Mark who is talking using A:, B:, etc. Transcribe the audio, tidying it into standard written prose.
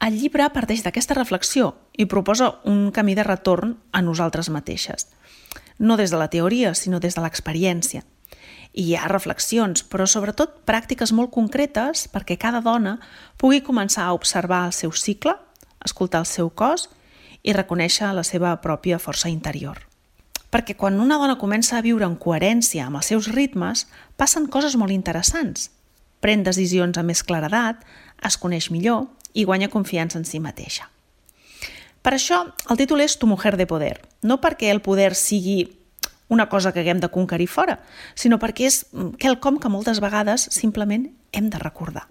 A: El llibre parteix d'aquesta reflexió i proposa un camí de retorn a nosaltres mateixes. No des de la teoria, sinó des de l'experiència. I hi ha reflexions, però sobretot pràctiques molt concretes perquè cada dona pugui començar a observar el seu cicle, escoltar el seu cos i reconèixer la seva pròpia força interior. Perquè quan una dona comença a viure en coherència amb els seus ritmes, passen coses molt interessants. Pren decisions amb més claredat, es coneix millor i guanya confiança en si mateixa. Per això, el títol és Tu mujer de poder, no perquè el poder sigui una cosa que haguem de conquerir fora, sinó perquè és quelcom que moltes vegades simplement hem de recordar.